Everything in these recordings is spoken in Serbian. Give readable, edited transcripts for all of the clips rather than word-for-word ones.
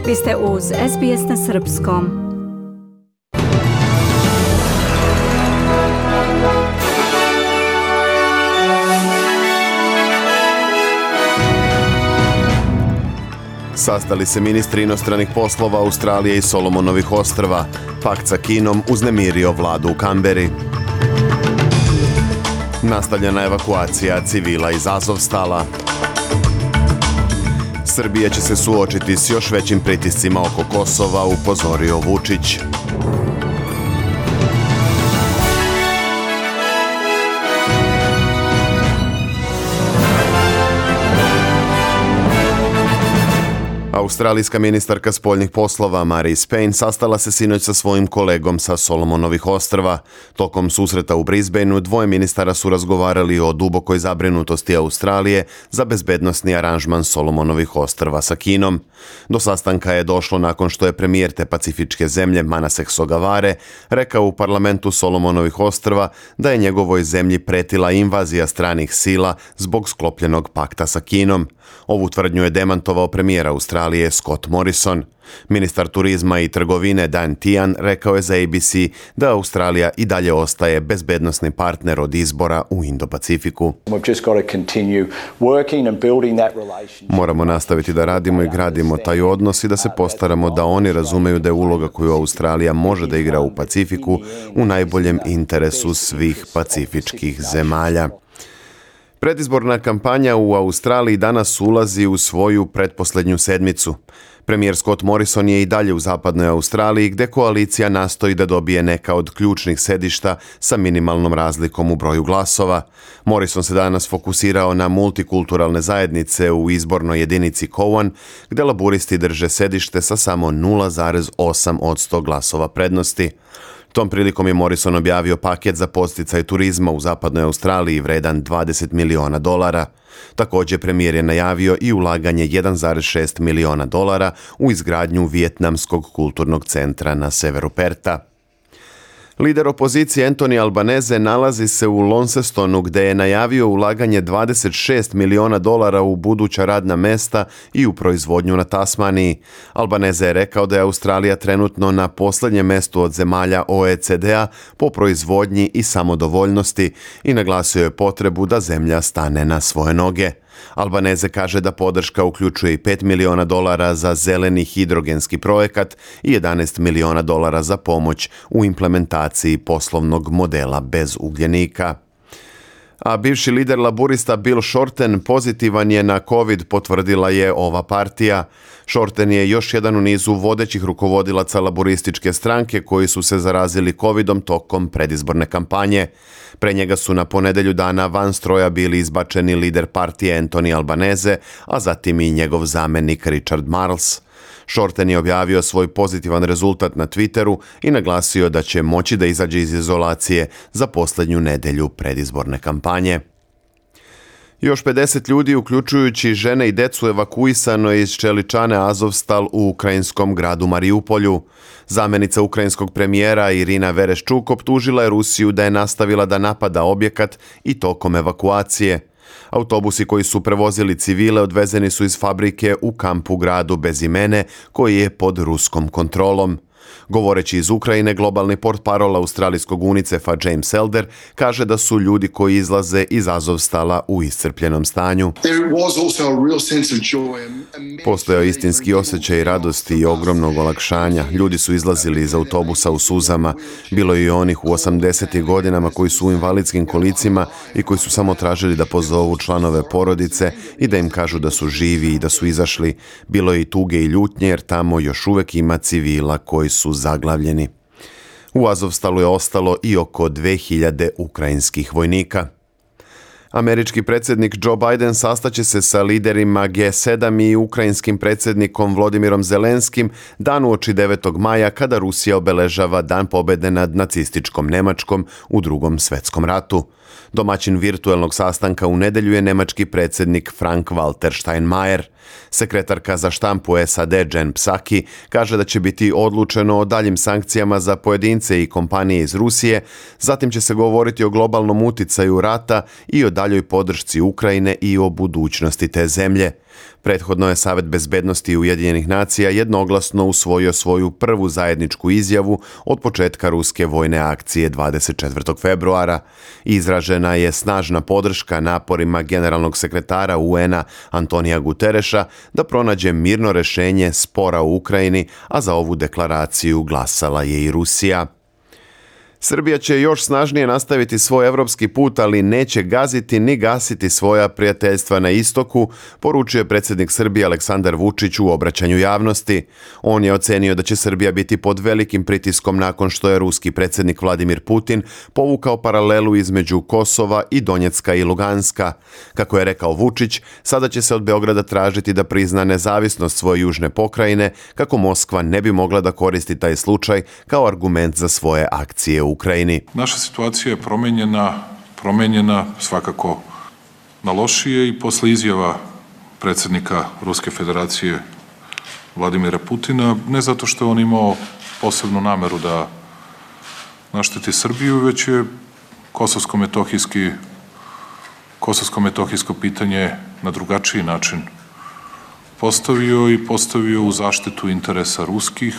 Vi ste uz SBS na srpskom. Sastali se ministri inostranih poslova Australije i Solomonovih ostrva. Pakt sa Kinom uznemirio vladu u Kamberi. Nastavljena evakuacija civila iz Azovstala. Srbija će se suočiti s još većim pritiscima oko Kosova, upozorio Vučić. Australijska ministarka spoljnih poslova Marise Payne sastala se sinoć sa svojim kolegom sa Solomonovih ostrva. Tokom susreta u Brisbaneu dvoje ministara su razgovarali o dubokoj zabrinutosti Australije za bezbednosni aranžman Solomonovih ostrva sa Kinom. Do sastanka je došlo nakon što je premijer te pacifičke zemlje Manasek Sogavare rekao u parlamentu Solomonovih ostrva da je njegovoj zemlji pretila invazija stranih sila zbog sklopljenog pakta sa Kinom. Ovu tvrdnju je demantovao premijer Australije Scott Morrison. Ministar turizma i trgovine Dan Tehan rekao je za ABC da Australija i dalje ostaje bezbednosni partner od izbora u Indo-Pacifiku. Moramo nastaviti da radimo i gradimo taj odnos i da se postaramo da oni razumeju da je uloga koju Australija može da igra u Pacifiku u najboljem interesu svih pacifičkih zemalja. Predizborna kampanja u Australiji danas ulazi u svoju pretposlednju sedmicu. Premijer Scott Morrison je i dalje u zapadnoj Australiji gdje koalicija nastoji da dobije neka od ključnih sedišta sa minimalnom razlikom u broju glasova. Morrison se danas fokusirao na multikulturalne zajednice u izbornoj jedinici Cowan, gdje laburisti drže sedište sa samo 0,8% glasova prednosti. Tom prilikom je Morrison objavio paket za podsticaj turizma u zapadnoj Australiji vredan $20 miliona. Također premijer je najavio i ulaganje $1,6 miliona u izgradnju Vijetnamskog kulturnog centra na severu Perta. Lider opozicije Anthony Albanese nalazi se u Launcestonu gdje je najavio ulaganje $26 miliona u buduća radna mesta i u proizvodnju na Tasmaniji. Albanese je rekao da je Australija trenutno na posljednjem mjestu od zemalja OECD-a po proizvodnji i samodovoljnosti i naglasio je potrebu da zemlja stane na svoje noge. Albanese kaže da podrška uključuje i $5 miliona za zeleni hidrogenski projekat i $11 miliona za pomoć u implementaciji poslovnog modela bez ugljenika. A bivši lider laburista Bill Shorten pozitivan je na COVID, potvrdila je ova partija. Shorten je još jedan u nizu vodećih rukovodilaca laburističke stranke koji su se zarazili COVIDom tokom predizborne kampanje. Pre njega su na ponedelju dana van stroja bili izbačeni lider partije Anthony Albanese, a zatim i njegov zamenik Richard Marles. Shorten je objavio svoj pozitivan rezultat na Twitteru i naglasio da će moći da izađe iz izolacije za posljednju nedjelju predizborne kampanje. Još 50 ljudi, uključujući žene i decu, evakuisano je iz čeličane Azovstal u ukrajinskom gradu Mariupolju. Zamenica ukrajinskog premijera Irina Vereshchuk optužila je Rusiju da je nastavila da napada objekat i tokom evakuacije. Autobusi koji su prevozili civile odvezeni su iz fabrike u kampu gradu bez imene koji je pod ruskom kontrolom. Govoreći iz Ukrajine, globalni portparol australijskog UNICEF-a James Elder kaže da su ljudi koji izlaze iz Azovstala u iscrpljenom stanju. Postojao istinski osjećaj radosti i ogromnog olakšanja. Ljudi su izlazili iz autobusa u suzama. Bilo je i onih u 80. godinama koji su u invalidskim kolicima i koji su samo tražili da pozovu članove porodice i da im kažu da su živi i da su izašli. Bilo je i tuge i ljutnje jer tamo još uvek ima civila koji su zaglavljeni. U Azovstalu je ostalo i oko 2000 ukrajinskih vojnika. Američki predsjednik Joe Biden sastaće se sa liderima G7 i ukrajinskim predsjednikom Volodymyrom Zelenskim dan uoči 9. maja kada Rusija obeležava Dan pobjede nad nacističkom Nemačkom u Drugom svjetskom ratu. Domaćin virtuelnog sastanka u nedjelju je nemački predsjednik Frank-Walter Steinmeier. Sekretarka za štampu SAD Jen Psaki kaže da će biti odlučeno o daljim sankcijama za pojedince i kompanije iz Rusije, zatim će se govoriti o globalnom uticaju rata i o daljoj podršci Ukrajine i o budućnosti te zemlje. Prethodno je Savet bezbednosti Ujedinjenih nacija jednoglasno usvojio svoju prvu zajedničku izjavu od početka ruske vojne akcije 24. februara. Izražena je snažna podrška naporima generalnog sekretara UN-a Antonija Gutereša da pronađe mirno rešenje spora u Ukrajini, a za ovu deklaraciju glasala je i Rusija. Srbija će još snažnije nastaviti svoj evropski put, ali neće gaziti ni gasiti svoja prijateljstva na istoku, poručuje predsjednik Srbije Aleksandar Vučić u obraćanju javnosti. On je ocenio da će Srbija biti pod velikim pritiskom nakon što je ruski predsjednik Vladimir Putin povukao paralelu između Kosova i Donjecka i Luganska. Kako je rekao Vučić, sada će se od Beograda tražiti da prizna nezavisnost svoje južne pokrajine, kako Moskva ne bi mogla da koristi taj slučaj kao argument za svoje akcije u Ukrajini. Naša situacija je promenjena svakako na lošije i posle izjava predsjednika Ruske federacije Vladimira Putina, ne zato što je on imao posebnu nameru da našteti Srbiju, već je kosovsko-metohijsko pitanje na drugačiji način postavio u zaštitu interesa ruskih.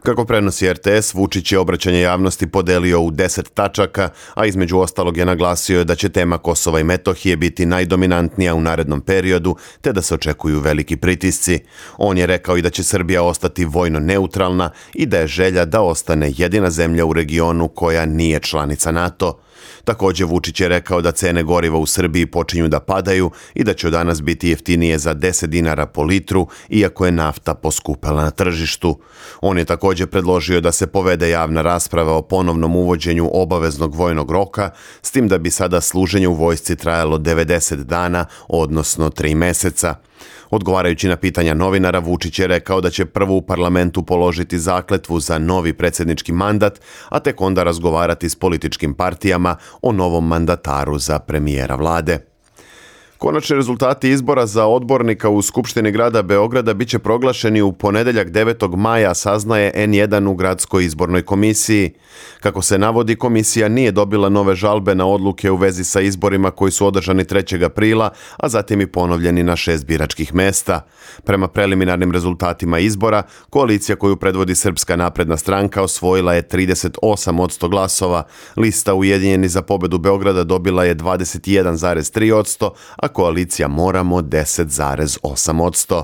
Kako prenosi RTS, Vučić je obraćanje javnosti podelio u 10 tačaka, a između ostalog je naglasio da će tema Kosova i Metohije biti najdominantnija u narednom periodu, te da se očekuju veliki pritisci. On je rekao i da će Srbija ostati vojno neutralna i da je želja da ostane jedina zemlja u regionu koja nije članica NATO. Također Vučić je rekao da cene goriva u Srbiji počinju da padaju i da će od danas biti jeftinije za 10 dinara po litru, iako je nafta poskupela na tržištu. On je također predložio da se povede javna rasprava o ponovnom uvođenju obaveznog vojnog roka, s tim da bi sada služenje u vojsci trajalo 90 dana, odnosno 3 meseca. Odgovarajući na pitanja novinara, Vučić je rekao da će prvo u parlamentu položiti zakletvu za novi predsjednički mandat, a tek onda razgovarati s političkim partijama o novom mandataru za premijera vlade. Konačni rezultati izbora za odbornika u Skupštini grada Beograda biće proglašeni u ponedeljak 9. maja, saznaje N1 u gradskoj izbornoj komisiji. Kako se navodi, komisija nije dobila nove žalbe na odluke u vezi sa izborima koji su održani 3. aprila, a zatim i ponovljeni na 6 biračkih mesta. Prema preliminarnim rezultatima izbora, koalicija koju predvodi Srpska napredna stranka osvojila je 38% glasova, lista Ujedinjeni za pobedu Beograda dobila je 21,3%, a koalicija Moramo 10,8%.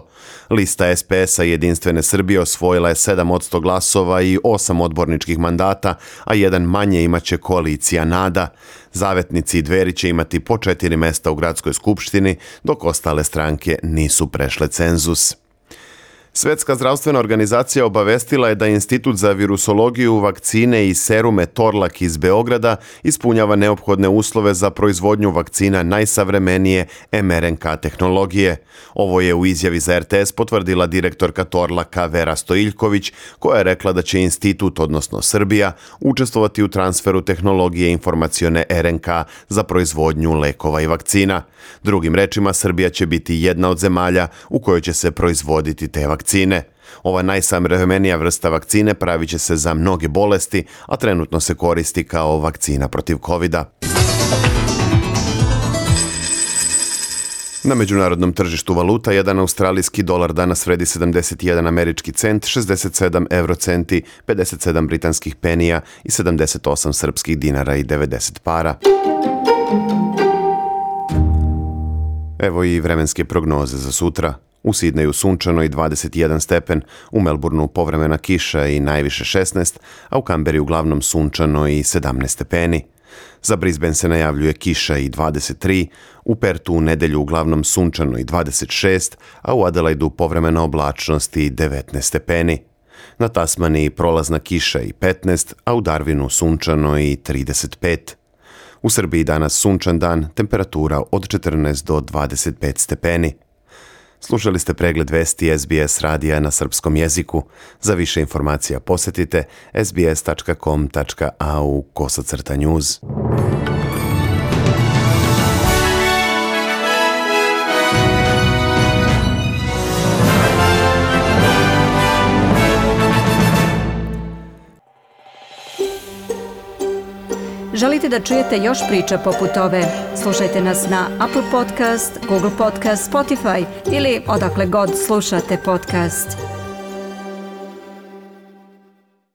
Lista SPS-a Jedinstvene Srbije osvojila je 7% glasova i 8 odborničkih mandata, a jedan manje imaće koalicija Nada. Zavetnici i Dveri će imati po 4 mesta u gradskoj skupštini, dok ostale stranke nisu prešle cenzus. Svetska zdravstvena organizacija obavestila je da Institut za virusologiju, vakcine i serume Torlak iz Beograda ispunjava neophodne uslove za proizvodnju vakcina najsavremenije mRNK tehnologije. Ovo je u izjavi za RTS potvrdila direktorka Torlaka Vera Stojiljković, koja je rekla da će institut, odnosno Srbija, učestvovati u transferu tehnologije informacione RNK za proizvodnju lekova i vakcina. Drugim rečima, Srbija će biti jedna od zemalja u kojoj će se proizvoditi te vakcine. Ova najsavremenija vrsta vakcine pravit će se za mnoge bolesti, a trenutno se koristi kao vakcina protiv covida. Na međunarodnom tržištu valuta, jedan australijski dolar danas vredi 71 američki cent, 67 eurocenti, 57 britanskih penija i 78 srpskih dinara i 90 para. Evo i vremenske prognoze za sutra. U Sidneju sunčano i 21 stepen, u Melbourneu povremena kiša i najviše 16, a u Kamberi uglavnom sunčano i 17 stepeni. Za Brisbane se najavljuje kiša i 23, u Pertu u nedelju uglavnom sunčano i 26, a u Adelaidu povremena oblačnost i 19 stepeni. Na Tasmaniji prolazna kiša i 15, a u Darwinu sunčano i 35. U Srbiji danas sunčan dan, temperatura od 14 do 25 stepeni. Slušali ste pregled vesti SBS radija na srpskom jeziku. Za više informacija posjetite sbs.com.au/news. Želite da čujete još priča poput ove? Slušajte nas na Apple Podcast, Google Podcast, Spotify ili odakle god slušate podcast.